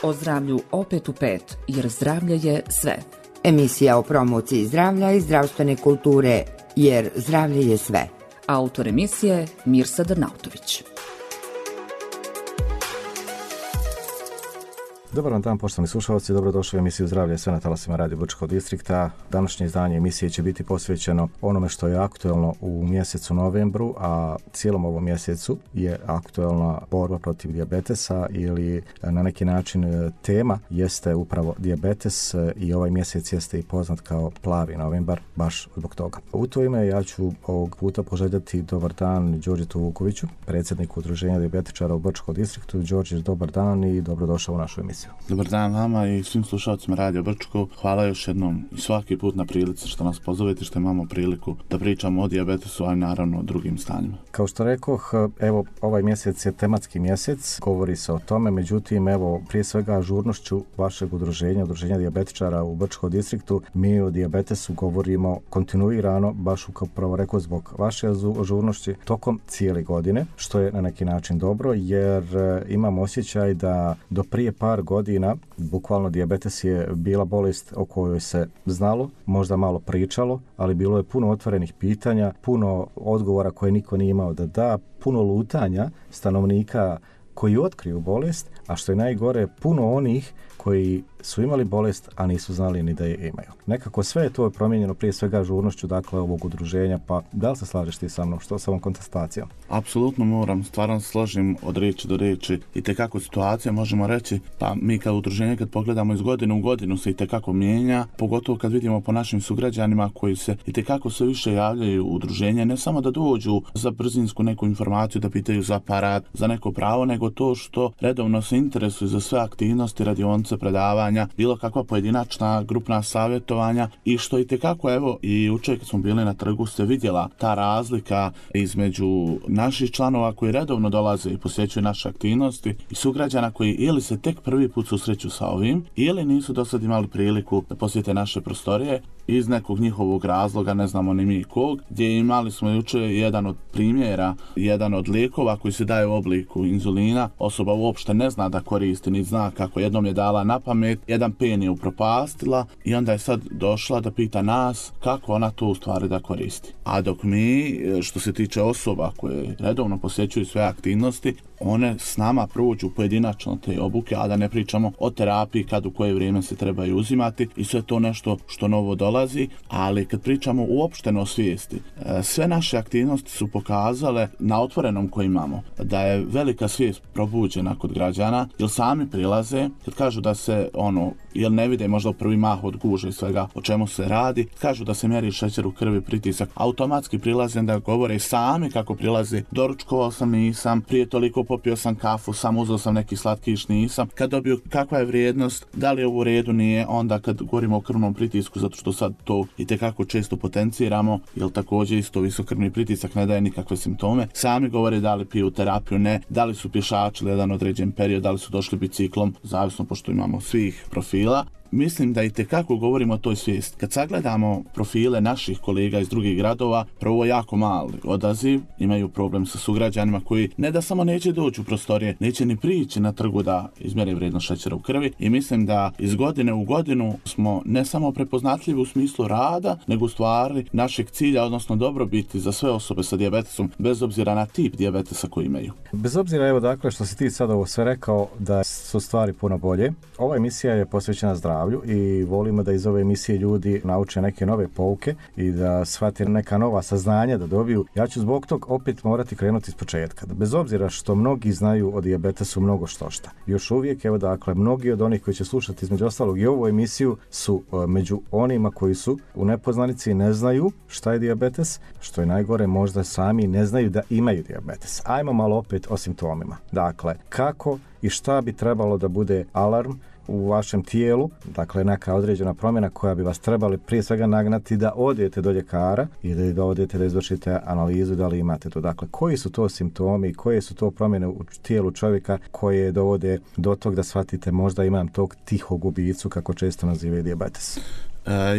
O zdravlju opet u 5, jer zdravlje je sve. Emisija o promociji zdravlja i zdravstvene kulture, jer zdravlje je sve. Autor emisije Mirsad Arnautović. Dobar vam dan, poštovani slušalci, dobrodošli u emisiju Zdravlje je sve na talasima Radio Brčkog distrikta. Današnje izdanje emisije će biti posvećeno onome što je aktuelno u mjesecu novembru, a cijelom ovom mjesecu je aktuelna borba protiv dijabetesa ili na neki način tema jeste upravo dijabetes i ovaj mjesec jeste i poznat kao plavi novembar baš zbog toga. U to ime ja ću ovog puta poželjeti dobar dan Đorđetu Vukoviću, predsjedniku Udruženja dijabetičara u Brčkom distriktu. Đorđe, dobar dan i dobrodošao u našu emisiju. Dobar dan vama i svim slušalcima Radio Brčko. Hvala još jednom i svaki put na prilici što nas pozovete, što imamo priliku da pričamo o dijabetesu, a i naravno o drugim stanjima. Kao što rekoh, evo, ovaj mjesec je tematski mjesec, govori se o tome, međutim, evo, prije svega ažurnošću vašeg Udruženja dijabetičara u Brčkom distriktu, mi o dijabetesu govorimo kontinuirano, baš upravo rekao zbog vaše ažurnošći, tokom cijele godine, što je na neki način dobro, jer imam osjećaj da do prije par godina, bukvalno dijabetes je bila bolest o kojoj se znalo, možda malo pričalo, ali bilo je puno otvorenih pitanja, puno odgovora koje niko nije imao da da, puno lutanja stanovnika koji otkriju bolest, a što je najgore, puno onih koji su imali bolest, a nisu znali ni da je imaju. Nekako sve je to promijenjeno prije svega ažurnošću, dakle, ovog udruženja, pa da li se slažeš ti sa mnom, što sa ovom kontestacijom? Apsolutno moram, stvarno se složim od riječi do riječi. I tekako situacija, možemo reći, pa mi kao udruženje kad pogledamo iz godine u godinu se i tekako mijenja, pogotovo kad vidimo po našim sugrađanima koji se i tekako sve više javljaju u udruženje, ne samo da dođu za brzinsku neku informaciju, da pitaju za aparat, za neko pravo, nego to što redovno se interesuju za sve aktivnosti, radionice, predavanja, bilo kakva pojedinačna grupna savjetovanja i što i tekako, evo, i jučer kad smo bili na trgu se vidjela ta razlika između naših članova koji redovno dolaze i posjećuju naše aktivnosti i sugrađana koji ili se tek prvi put susreću sa ovim ili nisu do sad imali priliku da posjete naše prostorije iz nekog njihovog razloga, ne znamo ni mi kog, gdje imali smo jučer jedan od primjera, jedan od lijekova koji se daje u obliku inzulina, osoba uopšte ne zna da koristi, ni zna kako, jednom je dala na pamet, jedan pen je upropastila i onda je sad došla da pita nas kako ona to u stvari da koristi. A dok mi, što se tiče osoba koje redovno posjećuju sve aktivnosti, one s nama prođu pojedinačno te obuke, a da ne pričamo o terapiji kad u koje vrijeme se trebaju uzimati i sve to nešto što novo dolazi, ali kad pričamo uopšteno o svijesti, sve naše aktivnosti su pokazale na otvorenom koji imamo da je velika svijest probuđena kod građana, jer sami prilaze, kad kažu da se jer ne vide možda u prvi mah od guže i svega o čemu se radi, kažu da se mjeri šećer u krvi, pritisak, automatski prilaze da govore sami kako prilaze, doručkovao sam, nisam, prije toliko popio sam kafu, sam uzeo sam neki slatkiš, nisam, kad dobiju kakva je vrijednost, da li je u redu, nije, onda kad govorimo o krvnom pritisku, zato što sad to i tekako često potenciramo, jer također isto visokrvni pritisak ne daje nikakve simptome, sami govore da li piju terapiju, ne, da li su pješačili jedan određen period, da li su došli biciklom, zavisno pošto imamo svih profila. Mislim da i tekako govorimo o toj svijesti. Kad sagledamo profile naših kolega iz drugih gradova, prvo jako mali odaziv, imaju problem sa sugrađanima koji ne da samo neće doći u prostorije, neće ni prići na trgu da izmjere vrijednost šećera u krvi i mislim da iz godine u godinu smo ne samo prepoznatljivi u smislu rada, nego u stvari našeg cilja, odnosno dobrobiti za sve osobe sa dijabetesom, bez obzira na tip dijabetesa koji imaju. Bez obzira, evo, dakle, što si ti sad ovo sve rekao, da su stvari puno bolje. Ova emisija je posvećena zdravlju i volimo da iz ove emisije ljudi nauče neke nove pouke i da shvate neka nova saznanja da dobiju. Ja ću zbog tog opet morati krenuti iz početka. Bez obzira što mnogi znaju o dijabetesu mnogo štošta. Još uvijek, evo, dakle, mnogi od onih koji će slušati između ostalog i ovu emisiju su među onima koji su u nepoznanici i ne znaju šta je dijabetes, što je najgore, možda sami ne znaju da imaju dijabetes. Ajmo malo opet o simptomima. Dakle, kako i šta bi trebalo da bude alarm u vašem tijelu, dakle neka određena promjena koja bi vas trebali prije svega nagnati da odete do ljekara i da odete da izvršite analizu da li imate to. Dakle, koji su to simptomi i koje su to promjene u tijelu čovjeka koje dovode do tog da shvatite možda imam tog tihog ubicu, kako često nazivaju dijabetes?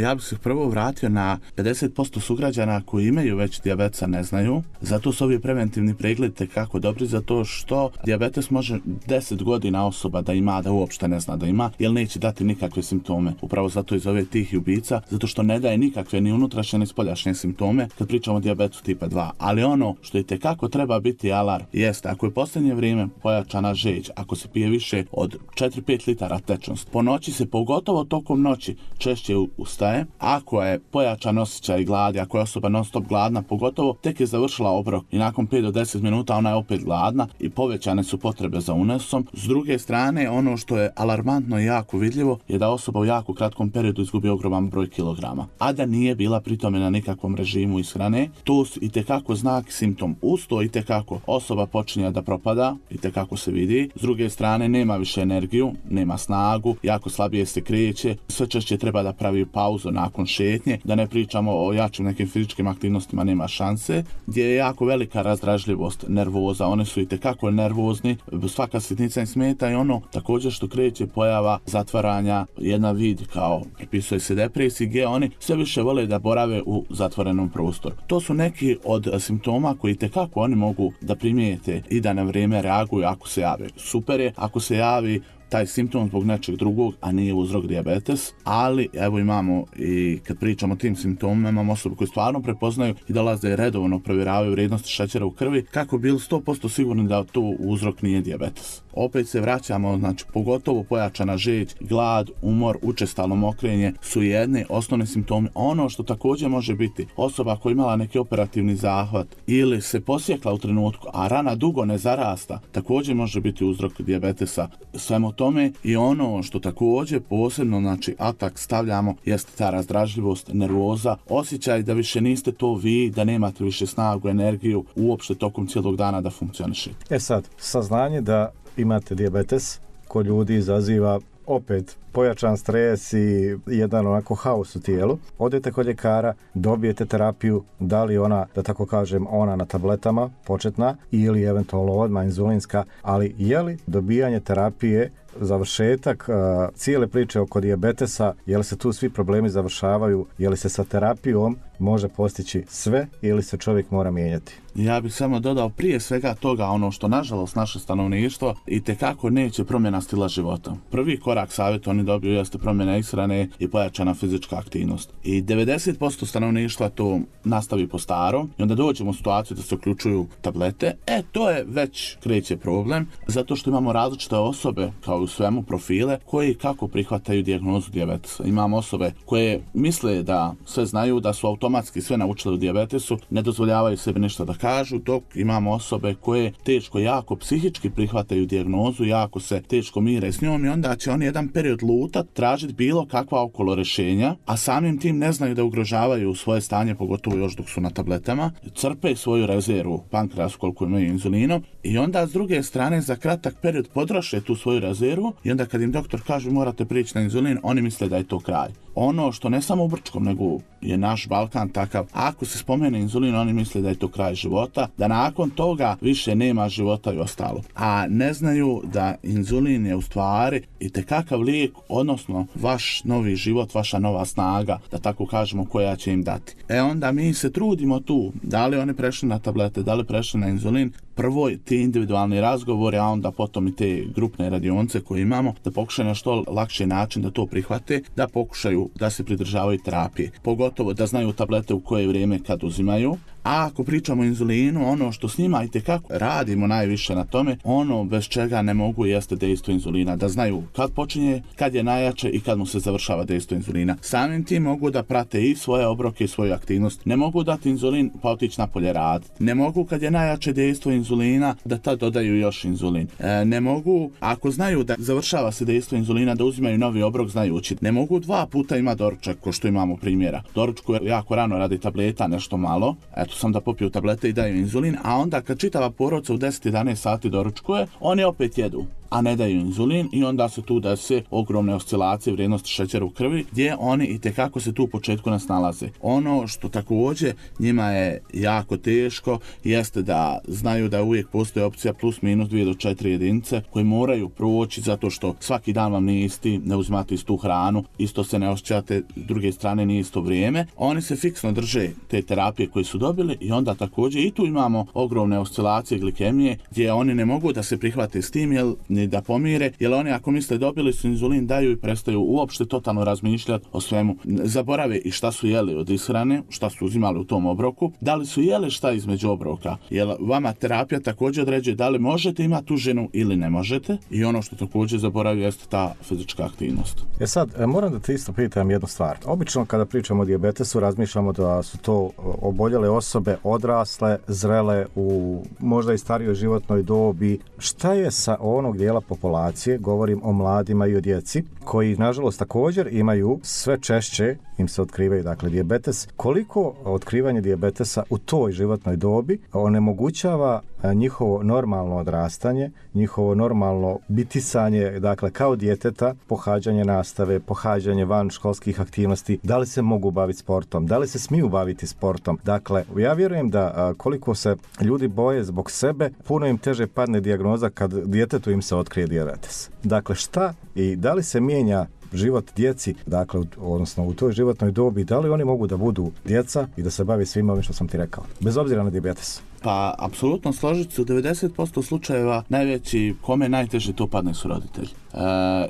Ja bih se prvo vratio na 50% sugrađana koji imaju već dijabetesa ne znaju. Zato su ovi preventivni pregledi tekako dobri, zato što dijabetes može 10 godina osoba da ima, da uopšte ne zna da ima, jer neće dati nikakve simptome. Upravo zato iz ove tihi ubica, zato što ne daje nikakve ni unutrašnje ni spoljašnje simptome kad pričamo o dijabetesu tipa 2. Ali ono što i tekako treba biti alarm jeste, ako je posljednje vrijeme pojačana žeđ, ako se pije više od 4-5 litara tečnost, po noći se pogotovo tokom noći češće ustaje, ako je pojačan osjećaj gladi, ako je osoba non stop gladna, pogotovo tek je završila obrok i nakon 5 do 10 minuta ona je opet gladna i povećane su potrebe za unosom. S druge strane, ono što je alarmantno i jako vidljivo je da osoba u jako kratkom periodu izgubi ogroman broj kilograma, a da nije bila pritome na nikakvom režimu ishrane. To su itekako znak, simptom. Uz to itekako osoba počinje da propada, itekako se vidi. S druge strane, nema više energiju, nema snagu, jako slabije se kreće, sve češće treba da pravi pauzu nakon šetnje, da ne pričamo o jačim nekim fizičkim aktivnostima, nema šanse, gdje je jako velika razdražljivost, nervoza, one su itekako nervozni, svaka sitnica im smeta i ono također što kreće pojava zatvaranja, jedna vid kao pripisuje se depresiji, gdje oni sve više vole da borave u zatvorenom prostoru. To su neki od simptoma koji itekako oni mogu da primijete i da na vrijeme reaguju ako se jave. Super je ako se javi taj simptom zbog nečeg drugog, a nije uzrok dijabetes, ali evo imamo i kad pričamo o tim simptomima, imamo osobe koje stvarno prepoznaju i dolaze redovno provjeravaju vrijednosti šećera u krvi kako bili 100% sigurni da to uzrok nije dijabetes. Opet se vraćamo, znači pogotovo pojačana žeđ, glad, umor, učestalo mokrenje su jedni osnovni simptomi. Ono što također može biti osoba koja imala neki operativni zahvat ili se posjekla u trenutku, a rana dugo ne zarasta, također može biti uzrok dijabetesa. Svemu tome i ono što također posebno, znači atak stavljamo, jeste ta razdražljivost, nervoza, osjećaj da više niste to vi, da nemate više snagu, energiju, uopšte tokom cijelog dana da funkcionišete. Sad, saznanje da imate dijabetes kod ljudi izaziva opet pojačan stres i jedan onako haos u tijelu. Odete kod ljekara, dobijete terapiju, da li ona, da tako kažem, ona na tabletama, početna, ili eventualno odmah inzulinska, ali je li dobijanje terapije završetak cijele priče oko dijabetesa, je li se tu svi problemi završavaju, je li se sa terapijom može postići sve ili se čovjek mora mijenjati? Ja bih samo dodao prije svega toga ono što nažalost naše stanovništvo itekako neće promjena stila života. Prvi korak savjet oni dobiju jeste promjena ishrane i pojačana fizička aktivnost. I 90% stanovništva to nastavi po starom i onda dođemo u situaciju da se uključuju tablete. To je već kreće problem, zato što imamo različite osobe kao u svemu profile koji kako prihvataju dijagnozu dijabetesa. Imamo osobe koje misle da sve znaju, da su automatski sve naučili u dijabetesu, ne dozvoljavaju sebi ništa da kažu, dok imamo osobe koje teško, jako psihički prihvataju dijagnozu, jako se teško mire s njom i onda će oni jedan period lutat, tražiti bilo kakva okolo rješenja, a samim tim ne znaju da ugrožavaju svoje stanje, pogotovo još dok su na tabletama, crpe svoju rezervu pankreasu koliko imaju inzulinom i onda s druge strane za kratak period potroše tu svoju rezervu i onda kad im doktor kaže morate prići na inzulin, oni misle da je to kraj. Ono što ne samo u Brčkom, nego je naš Balkan takav, ako se spomene inzulin, oni misle da je to kraj života, da nakon toga više nema života i ostalo. A ne znaju da inzulin je u stvari itekakav lijek, odnosno vaš novi život, vaša nova snaga, da tako kažemo, koja će im dati. Onda mi se trudimo tu, da li oni prešli na tablete, da li prešli na inzulin, prvo ti individualni razgovori, a onda potom i te grupne radionce koje imamo, da pokušaju na što lakši način da to prihvate, da pokušaju da se pridržavaju terapije. Pogotovo da znaju tablete u koje vrijeme kad uzimaju. A ako pričamo o inzulinu, ono što s njima itekako radimo najviše na tome, ono bez čega ne mogu jeste dejstvo inzulina. Da znaju kad počinje, kad je najjače i kad mu se završava dejstvo inzulina. Samim tim mogu da prate i svoje obroke i svoju aktivnost. Ne mogu dati inzulin pa otići napolje raditi. Ne mogu kad je najjače dejstvo inzulina da tad dodaju još inzulin. Ne mogu, ako znaju da završava se dejstvo inzulina, da uzimaju novi obrok, znaju učiti. Ne mogu 2 puta ima doručak, ko što imamo primjera. Doručku jako rano radi tableta, nešto malo. Sam da popiju tablete i daju inzulin, a onda kad čitava porodica u 10-11 sati doručkuje, oni opet jedu. a ne daju inzulin i onda se tu desi ogromne oscilacije vrijednosti šećera u krvi gdje oni itekako se tu u početku nas nalaze. Ono što također njima je jako teško jeste da znaju da uvijek postoji opcija plus minus 2 do 4 jedinice koje moraju proći zato što svaki dan vam nije isti, ne uzimate istu hranu, isto se ne osjećate, s druge strane nije isto vrijeme. Oni se fiksno drže te terapije koje su dobili i onda također i tu imamo ogromne oscilacije glikemije gdje oni ne mogu da se prihvate s tim ni da pomire, jer oni ako misle dobili su inzulin daju i prestaju uopšte totalno razmišljati o svemu. Zaborave i šta su jeli od ishrane, šta su uzimali u tom obroku, da li su jeli šta između obroka, jer vama terapija također određuje da li možete imati tu ženu ili ne možete i ono što također zaboravio jeste ta fizička aktivnost. Sad, moram da te isto pitam jednu stvar. Obično kada pričamo o dijabetesu razmišljamo da su to oboljele osobe odrasle, zrele u možda i starijoj životnoj dobi. Šta je sa onog dijela populacije, govorim o mladima i o djeci, koji nažalost također imaju sve češće im se otkrivaju dakle dijabetes. Koliko otkrivanje dijabetesa u toj životnoj dobi onemogućava njihovo normalno odrastanje, njihovo normalno bitisanje, dakle kao djeteta, pohađanje nastave, pohađanje van školskih aktivnosti, da li se mogu baviti sportom, da li se smiju baviti sportom. Dakle, ja vjerujem da koliko se ljudi boje zbog sebe, puno im teže padne dijagnoza kad djetetu im se otkrije dijabetes. Dakle, šta i da li se mijenja život djeci, dakle, odnosno u toj životnoj dobi, da li oni mogu da budu djeca i da se bavi svim ovim što sam ti rekao, bez obzira na dijabetes? Pa, apsolutno složit se, u 90% slučajeva najveći kome najteže to padne su roditelji.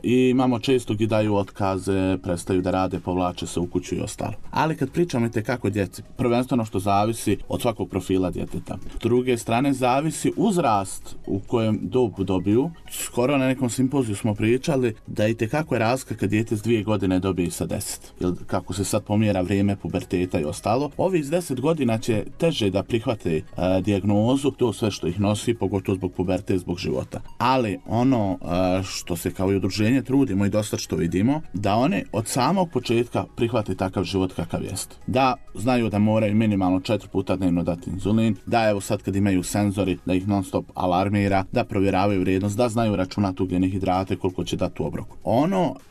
I imamo često gdje daju otkaze, prestaju da rade, povlače se u kuću i ostalo. Ali kad pričamo i tekako djeci, prvenstveno što zavisi od svakog profila djeteta. S druge strane zavisi uzrast u kojem dobu dobiju. Skoro na nekom simpoziju smo pričali da i tekako je razlika kad dijete s 2 godine dobije sa 10. Jer kako se sad pomjera vrijeme puberteta i ostalo, ovi s 10 godina će teže da prihvate dijagnozu, to sve što ih nosi, pogotovo zbog puberte, zbog života. Ali ono što se kao i udruženje trudimo i dosta što vidimo, da oni od samog početka prihvate takav život kakav jest. Da znaju da moraju minimalno 4 puta dnevno dati inzulin, da evo sad kad imaju senzori, da ih non stop alarmira, da provjeravaju vrijednost, da znaju računati ugljene hidrate, koliko će dati u obroku.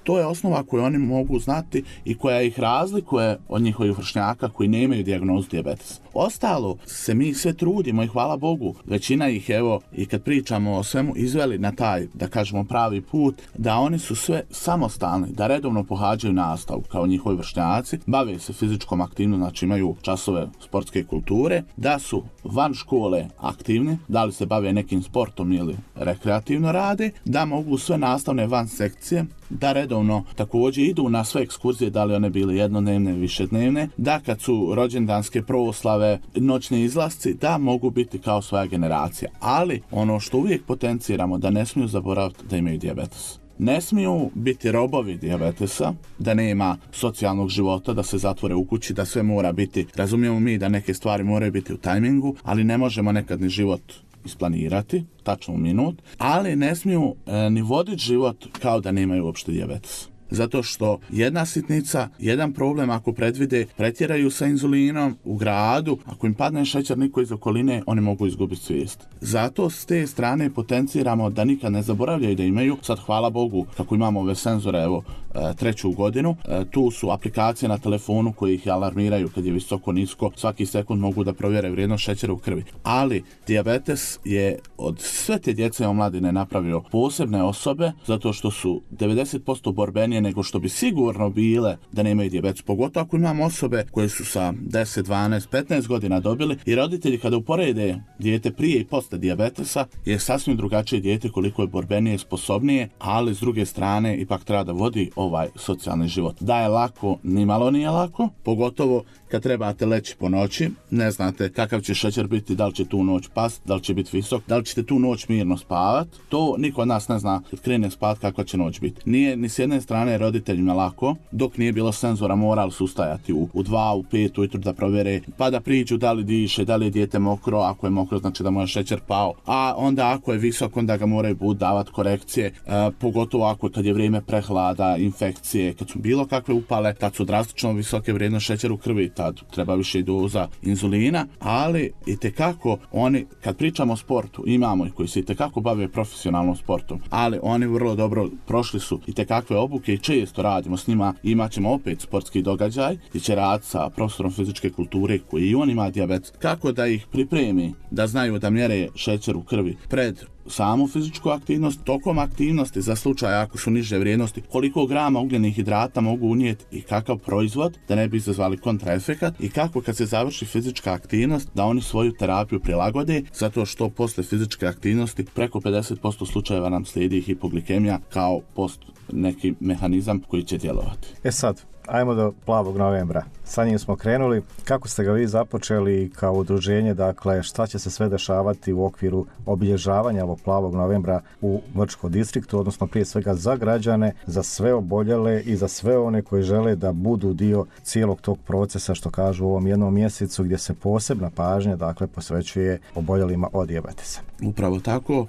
To je osnova koju oni mogu znati i koja ih razlikuje od njihovih vršnjaka koji nemaju dijagnozu dijabetesa. Ostalo se mi sve trudimo i hvala Bogu, većina ih evo i kad pričamo o svemu izveli na taj, da kažemo, pravi put, da oni su sve samostalni, da redovno pohađaju nastavu kao njihovi vršnjaci, bave se fizičkom aktivnom, znači imaju časove sportske kulture, da su van škole aktivni, da li se bave nekim sportom ili rekreativno rade, da mogu sve nastavne van sekcije, da redovno također idu na sve ekskurzije, da li one bile jednodnevne, višednevne, da kad su rođendanske proslave, noćni izlasci, da mogu biti kao svoja generacija. Ali ono što uvijek potenciramo, da ne smiju zaboraviti da imaju dijabetes. Ne smiju biti robovi dijabetesa, da nema socijalnog života, da se zatvore u kući, da sve mora biti, razumijemo mi da neke stvari moraju biti u tajmingu, ali ne možemo nekad ni život isplanirati, tačno u minut, ali ne smiju ni voditi život kao da nemaju uopšte dijabetes. Zato što jedna sitnica, jedan problem ako predvide, pretjeraju sa inzulinom u gradu, ako im padne šećer niko iz okoline, oni mogu izgubiti svijest. Zato s te strane potenciramo da nikad ne zaboravljaju da imaju. Sad hvala Bogu kako imamo ove senzore, evo, 3. godinu, tu su aplikacije na telefonu koje ih alarmiraju kad je visoko, nisko, svaki sekund mogu da provjere vrijednost šećera u krvi. Ali dijabetes je od sve te djece omladine napravio posebne osobe, zato što su 90% borbenije nego što bi sigurno bile da nemaju dijabetes. Pogotovo ako imamo osobe koje su sa 10, 12, 15 godina dobili i roditelji kada uporede dijete prije i posle dijabetesa je sasvim drugačije dijete, koliko je borbenije, sposobnije, ali s druge strane ipak treba da vodi ovaj socijalni život. Da je lako, nimalo nije lako, pogotovo kad trebate leći po noći, ne znate kakav će šećer biti, da li će tu noć past, da li će biti visok, da li ćete tu noć mirno spavat. To niko od nas ne zna kad krene spavat kakva će noć biti. Nije ni s jedne strane roditeljima lako, dok nije bilo senzora morali su ustajati u 2, u 5 ujutro da provjere, pa da priđu da li diše, da li je dijete mokro, ako je mokro znači da mu je šećer pao, a onda ako je visok onda ga moraju davati korekcije, pogotovo ako kad je vrijeme prehlada, infekcije, kad su bilo kakve upale, tad su drastično visoke vrijednosti šećera u krvi. tad treba više doza inzulina, ali itekako oni, kad pričamo o sportu, imamo ih koji se itekako bave profesionalnom sportom, ali oni vrlo dobro prošli su itekakve obuke i često radimo s njima. Imat ćemo opet sportski događaj gdje će raditi sa profesorom fizičke kulture koji i on ima dijabetes, kako da ih pripremi, da znaju da mjere šećer u krvi pred samu fizičku aktivnost, tokom aktivnosti za slučaj ako su niže vrijednosti, koliko grama ugljenih hidrata mogu unijeti i kakav proizvod da ne bi izazvali kontraefekat i kako kad se završi fizička aktivnost da oni svoju terapiju prilagode, zato što posle fizičke aktivnosti preko 50% slučajeva nam slijedi hipoglikemija kao post neki mehanizam koji će djelovati. Sad, ajmo do Plavog novembra. Sa njim smo krenuli. Kako ste ga vi započeli kao udruženje? Dakle, šta će se sve dešavati u okviru obilježavanja ovog Plavog novembra u Vrčkom distriktu, odnosno prije svega za građane, za sve oboljele i za sve one koji žele da budu dio cijelog tog procesa, što kažu u ovom jednom mjesecu gdje se posebna pažnja dakle posvećuje oboljelima od dijabetesa. Upravo tako,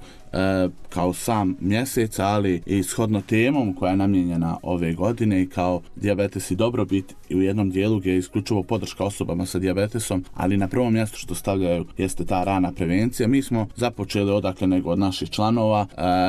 kao sam mjesec, ali i shodno temom koja je namijenjena ove godine i kao dijabetes i dobrobit i u jednom dijelu gdje je isključivo podrška osobama sa dijabetesom, ali na prvom mjestu što stavljaju jeste ta rana prevencija. Mi smo započeli odakle nego od naših članova,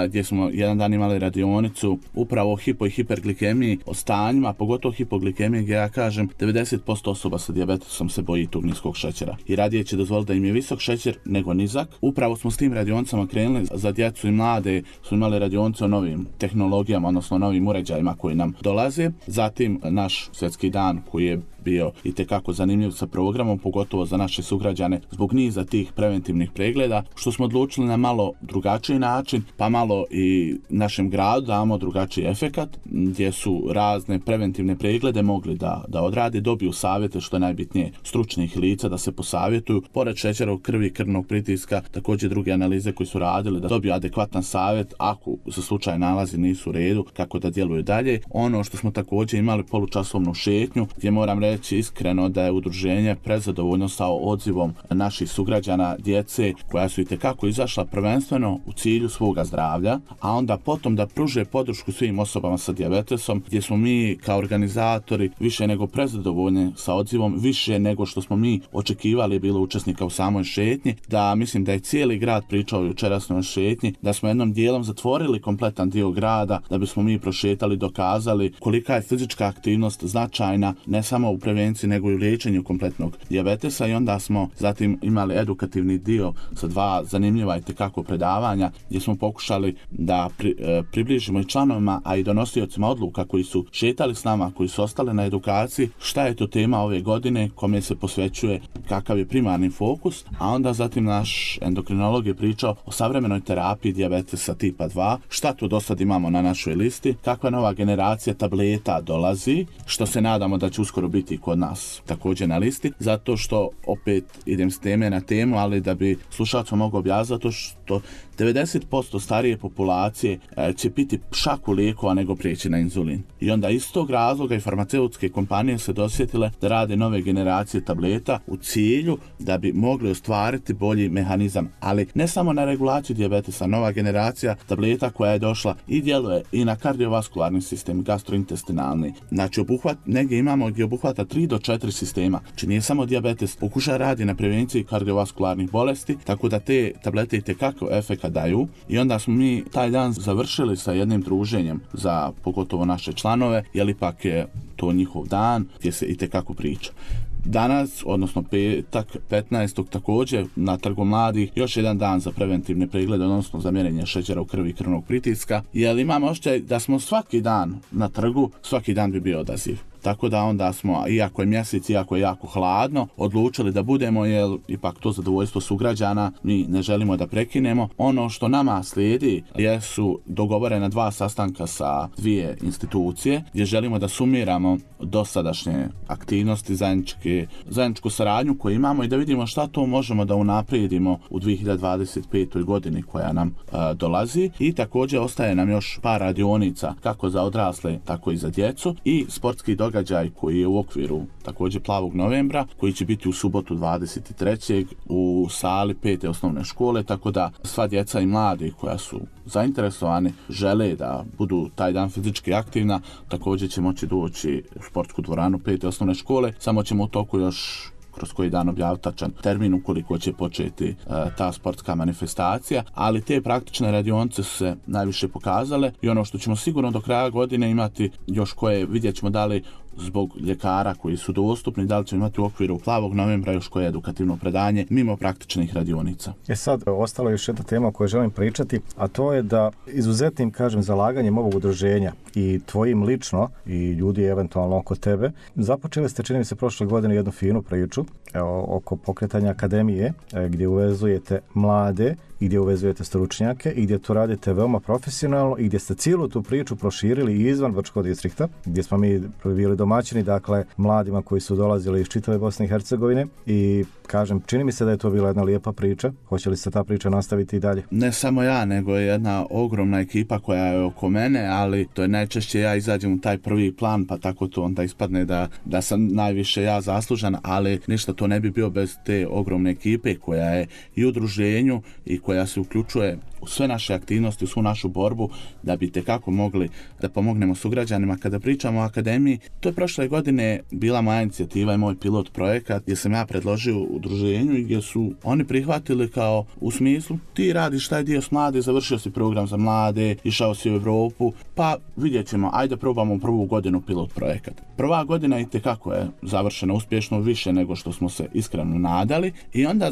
gdje smo jedan dan imali radionicu upravo o hipo i hiperglikemiji, o stanjima, pogotovo hipoglikemije, gdje ja kažem 90% osoba sa dijabetesom se boji tog niskog šećera i radije će dozvoliti da im je visok šećer nego nizak. Upravo smo s tim radionicama krenuli. Za djecu i mlade smo imali radionice o novim tehnologijama, odnosno novim uređajima koji nam dolaze. Zatim naš svjetski dan koji je bio itekako zanimljiv sa programom, pogotovo za naše sugrađane zbog niza tih preventivnih pregleda, što smo odlučili na malo drugačiji način, pa malo i našem gradu damo drugačiji efekat, gdje su razne preventivne preglede mogli da odrade, dobiju savjete, što je najbitnije, stručnih lica da se posavjetuju, pored šećera u krvi, krvnog pritiska, također druge analize koji su radili da dobiju adekvatan savjet ako za slučaj nalazi nisu u redu, kako da djeluju dalje. Ono što smo također imali polučasovnu šetnju, gdje moram reći iskreno da je udruženje prezadovoljno sa odzivom naših sugrađana, djece koja su itekako izašla prvenstveno u cilju svoga zdravlja, a onda potom da pruže podršku svim osobama sa dijabetesom, gdje smo mi kao organizatori više nego prezadovoljni sa odzivom, više nego što smo mi očekivali bilo učesnika u samoj šetnji, da mislim da je cijeli grad pričao jučerasnoj šetnji, da smo jednom dijelom zatvorili kompletan dio grada, da bismo mi prošetali, dokazali kolika je fizička aktivnost značajna, ne samo u prevenciji nego i u liječenju kompletnog dijabetesa, i onda smo zatim imali edukativni dio sa 2 zanimljiva itekako predavanja gdje smo pokušali da približimo i članovima, a i donosiocima odluka koji su šetali s nama, koji su ostali na edukaciji, šta je to tema ove godine, kome se posvećuje, kakav je primarni fokus, a onda zatim naš endokrinolog je pričao o savremenoj terapiji dijabetesa tipa 2, šta to do sad imamo na našoj listi, kakva nova generacija tableta dolazi, što se nadamo da će uskoro biti kod nas također na listi, zato što opet idem s teme na temu, ali da bi slušalcu mogao objasniti, zato što 90% starije populacije će piti šaku lijekova nego prijeći na inzulin. I onda iz tog razloga i farmaceutske kompanije se dosjetile da rade nove generacije tableta u cilju da bi mogli ostvariti bolji mehanizam, ali ne samo na regulaciju dijabetesa, nova generacija tableta koja je došla i djeluje i na kardiovaskularni sistem, gastrointestinalni. Znači negdje imamo gdje obuhvata 3 do 4 sistema. Znači nije samo dijabetes, pokuša radi na prevenciji kardiovaskularnih bolesti, tako da te tablete itekako efekat daju. I onda smo mi taj dan završili sa jednim druženjem za pogotovo naše članove, jer ipak je to njihov dan gdje se itekako priča. Danas, odnosno petak 15. također na Trgu mladih, još jedan dan za preventivne preglede, odnosno za mjerenje šećera u krvi i krvnog pritiska, jer imamo osjećaj da smo svaki dan na trgu, svaki dan bi bio odaziv. Tako da onda smo, iako je mjesec, iako je jako hladno, odlučili da budemo, jer ipak to zadovoljstvo sugrađana mi ne želimo da prekinemo. Ono što nama slijedi jesu dogovorena 2 sastanka sa 2 institucije gdje želimo da sumiramo dosadašnje aktivnosti, zajedničku saradnju koju imamo i da vidimo šta to možemo da unaprijedimo u 2025. godini koja nam dolazi. I također ostaje nam još par radionica kako za odrasle, tako i za djecu i sportski događaj događaj koji je u okviru također Plavog novembra, koji će biti u subotu 23. u sali 5. osnovne škole, tako da sva djeca i mladi koja su zainteresovani, žele da budu taj dan fizički aktivna, također će moći doći u sportsku dvoranu 5. osnovne škole, samo ćemo u toku još kroz koji dan objaviti tačan termin ukoliko će početi ta sportska manifestacija, ali te praktične radionice su se najviše pokazale i ono što ćemo sigurno do kraja godine imati još koje, vidjet ćemo da li zbog ljekara koji su dostupni, da li ćemo imati u okviru Plavog novembra još koje edukativno predanje mimo praktičnih radionica. Sad, ostala je još jedna tema o kojoj želim pričati, a to je da izuzetnim, zalaganjem ovog udruženja i tvojim lično i ljudi eventualno oko tebe, započeli ste, čini mi se, prošle godine jednu finu priču oko pokretanja akademije gdje uvezujete mlade i gdje uvezujete stručnjake i gdje to radite veoma profesionalno i gdje ste cijelu tu priču proširili izvan Brčkog distrikta, gdje smo mi bili domaćini, dakle, mladima koji su dolazili iz čitave Bosne i Hercegovine i čini mi se da je to bila jedna lijepa priča. Hoće li se ta priča nastaviti i dalje? Ne samo ja, nego je jedna ogromna ekipa koja je oko mene, ali to je najčešće ja izađem u taj prvi plan, pa tako to onda ispadne da sam najviše ja zaslužan, ali ništa to ne bi bio bez te ogromne ekipe koja je i u udruženju i koja se uključuje u sve naše aktivnosti, u svu našu borbu da bi tekako mogli da pomognemo sugrađanima. Kada pričamo o akademiji, to je prošle godine bila moja inicijativa i moj pilot projekat gdje sam ja predložio udruženju i gdje su oni prihvatili kao u smislu ti radiš taj dio s mlade, završio si program za mlade, išao si u Europu, pa vidjet ćemo, ajde probamo prvu godinu pilot projekat. Prva godina i tekako je završena uspješno, više nego što smo se iskreno nadali i onda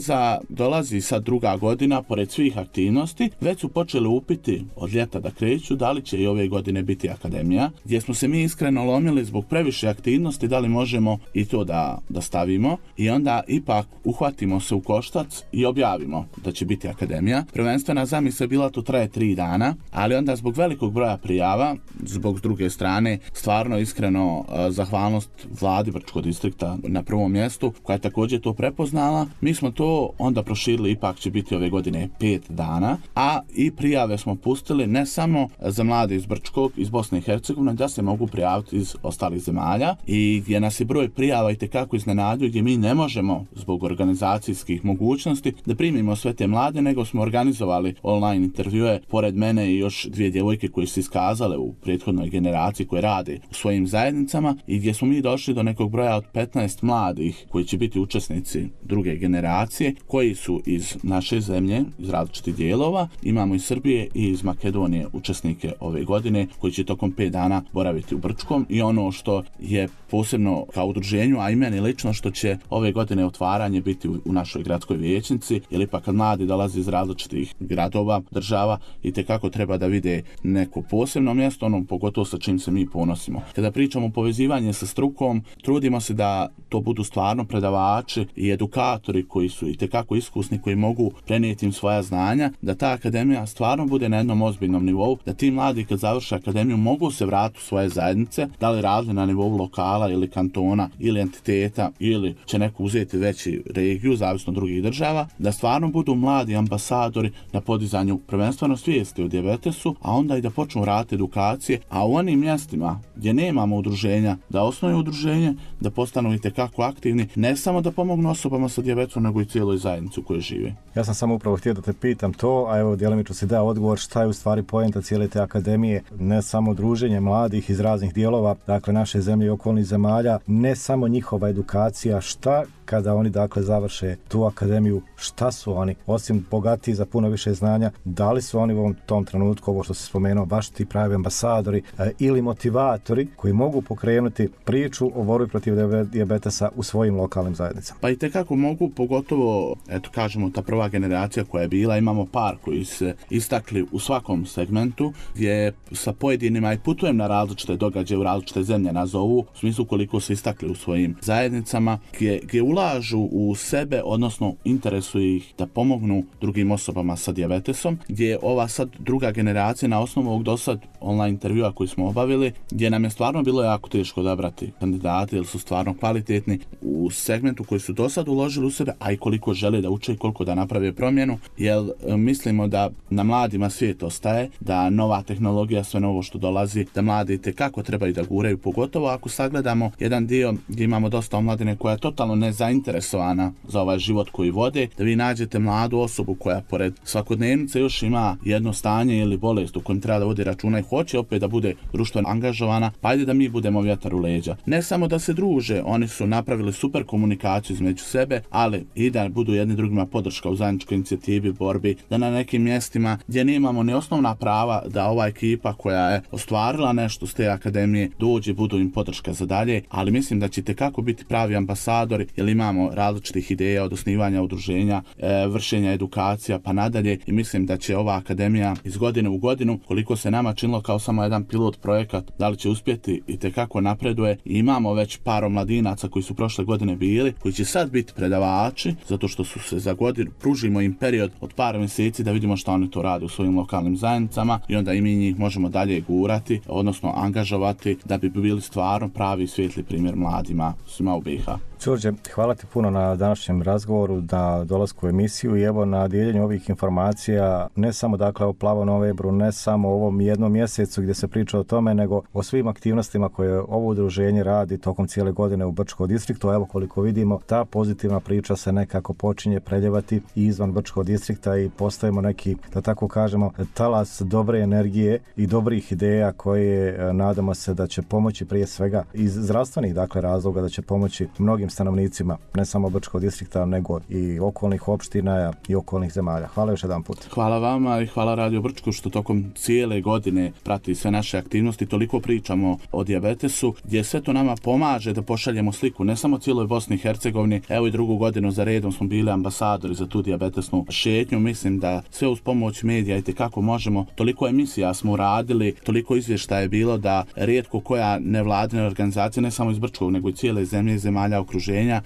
dolazi sad druga godina, pored svih aktivnosti, već su počeli upiti od ljeta da kreću da li će i ove godine biti akademija, gdje smo se mi iskreno lomili zbog previše aktivnosti, da li možemo i to da stavimo i onda ipak uhvatimo se u koštac i objavimo da će biti akademija. Prvenstvena zamisla bila to traje 3 dana, ali onda zbog velikog broja prijava, zbog druge strane, stvarno iskreno zahvalnost vladi Brčkog distrikta na prvom mjestu, koja je također to prepoznala. Mi smo to onda proširili, ipak će biti ove godine 5 dana, a i prijave smo pustili ne samo za mlade iz Brčkog, iz Bosne i Hercegovine, da se mogu prijaviti iz ostalih zemalja i gdje nas je broj prijava itekako iznenadio, gdje mi ne možemo zbog organizacijskih mogućnosti da primimo sve te mlade, nego smo organizovali online intervjue pored mene i još 2 djevojke koje su iskazale u prethodnoj generaciji koje rade u svojim zajednicama i gdje smo mi došli do nekog broja od 15 mladih koji će biti učesnici druge generacije, koji su iz naše zemlje, iz različitih dijelova. Imamo iz Srbije i iz Makedonije učesnike ove godine koji će tokom 5 dana boraviti u Brčkom i ono što je posebno kao udruženju, a i meni lično, što će ove godine otvaranje biti u našoj gradskoj vijećnici, jer ipak kad mladi dolazi iz različitih gradova, država, i tekako treba da vide neko posebno mjesto, pogotovo sa čim se mi ponosimo. Kada pričamo o povezivanju sa strukom, trudimo se da to budu stvarno predavači i edukatori koji su itekako iskusni, koji mogu prenijeti im svoja znanja, da ta akademija stvarno bude na jednom ozbiljnom nivou, da ti mladi kad završe akademiju mogu se vratiti u svoje zajednice, da li radili na nivou lokala ili kantona ili entiteta ili će neko uzeti veći regiju, zavisno od drugih država, da stvarno budu mladi ambasadori na podizanju prvenstveno svijesti o dijabetesu, a onda i da počnu raditi edukacije, a u onim mjestima gdje nemamo udruženja, da osnuju udruženje, da postanu itekako aktivni, ne samo da pomognu osobama sa dijabetesom, nego i cijeloj zajednici u kojoj žive. Ja sam samo upravo htio da te pitam to, a evo djelimično si dao odgovor šta je u stvari poenta cijele te akademije, ne samo druženje mladih iz raznih dijelova, dakle naše zemlje i okolnih zemalja, ne samo njihova edukacija, šta kada oni dakle završe tu akademiju, šta su oni, osim bogatiji za puno više znanja, da li su oni u tom trenutku, ovo što se spomenuo, baš ti pravi ambasadori ili motivatori koji mogu pokrenuti priču o borbi protiv dijabetesa u svojim lokalnim zajednicama? Pa i tekako mogu, pogotovo, eto kažemo, ta prva generacija koja je bila, imamo par koji se istakli u svakom segmentu, gdje sa pojedinima i putujem na različite događaje u različite zemlje nazovu, u smislu koliko se istakli u svojim zajednicama, gdje ulažu u sebe, odnosno interesuje ih da pomognu drugim osobama sa dijabetesom, gdje je ova sad druga generacija na osnovu ovog dosad online intervjua koji smo obavili, gdje nam je stvarno bilo jako teško odabrati kandidate jer su stvarno kvalitetni u segmentu koji su dosad uložili u sebe, a i koliko žele da uče i koliko da naprave promjenu, jer mislimo da na mladima svijet ostaje, da nova tehnologija, sve novo što dolazi, da mladi kako trebaju da guraju, pogotovo ako sagledamo jedan dio gdje imamo dosta omladine koja je totalno nezainteresovana za ovaj život koji vode, da vi nađete mladu osobu koja pored svakodnevnice još ima jedno stanje ili bolest u kojem treba da vodi računa i hoće opet da bude društveno angažovana, pa ajde da mi budemo vjetar u leđa. Ne samo da se druže, oni su napravili super komunikaciju između sebe, ali i da budu jedni drugima podrška u zajedničkoj inicijativi, borbi, da na nekim mjestima gdje nemamo ni osnovna prava da ova ekipa koja je ostvarila nešto s te akademije dođe, budu im podrška za dalje, ali mislim da ćete kako biti pravi ambasadori, jer imamo različitih ideja od osnivanja udruženja, vršenja edukacija pa nadalje i mislim da će ova akademija iz godine u godinu, koliko se nama činilo kao samo jedan pilot projekat, da li će uspjeti i tekako napreduje i imamo već par omladinaca koji su prošle godine bili, koji će sad biti predavači, zato što su se za godinu, pružimo im period od par mjeseci da vidimo što oni to rade u svojim lokalnim zajednicama i onda i mi njih možemo dalje gurati, odnosno angažovati da bi bili stvarno pravi svijetli primjer mladima svima u BiH. Đorđe, hvala ti puno na današnjem razgovoru, na dolasku u emisiju i evo na dijeljenju ovih informacija, ne samo dakle o Plavom novembru, ne samo o ovom jednom mjesecu gdje se priča o tome, nego o svim aktivnostima koje ovo udruženje radi tokom cijele godine u Brčkom distriktu. Evo koliko vidimo, ta pozitivna priča se nekako počinje preljevati i izvan Brčkog distrikta i postajemo neki, da tako kažemo, talas dobre energije i dobrih ideja koje nadamo se da će pomoći prije svega iz zdravstvenih dakle razloga, da će pomoći mnogim stanovnicima, ne samo Brčkog distrikta, nego i okolnih opština i okolnih zemalja. Hvala još jedan put. Hvala vama i hvala Radio Brčko što tokom cijele godine prati sve naše aktivnosti. Toliko pričamo o dijabetesu, gdje sve to nama pomaže da pošaljemo sliku, ne samo cijeloj Bosni i Hercegovini. Evo i drugu godinu za redom smo bili ambasadori za tu dijabetesnu šetnju. Mislim da sve uz pomoć medija i kako možemo. Toliko emisija smo uradili, toliko izvještaja je bilo da rijetko koja nevladina organizacija, ne samo iz Brčkog, nego i cijele zemlje i zemalja okruženja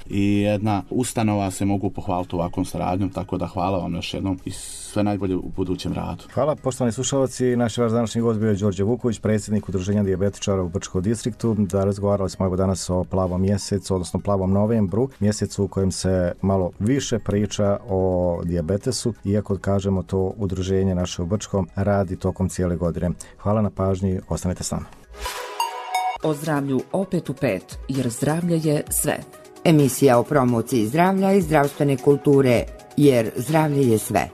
i jedna ustanova se mogu pohvaliti ovakvom saradnjom, tako da hvala vam još jednom i sve najbolje u budućem radu. Hvala, poštovani slušalci. Naš vaš današnji gost bio je Đorđe Vuković, predsjednik udruženja dijabetičara u Brčkom distriktu. Da razgovarali smo evo danas o Plavom mjesecu, odnosno Plavom novembru, mjesecu u kojem se malo više priča o dijabetesu, iako kažemo to udruženje naše u Brčkom radi tokom cijele godine. Hvala na pažnji, ostanite s nama. O zdravlju opet u 5, jer zdravlje je sve. Emisija o promociji zdravlja i zdravstvene kulture, jer zdravlje je sve.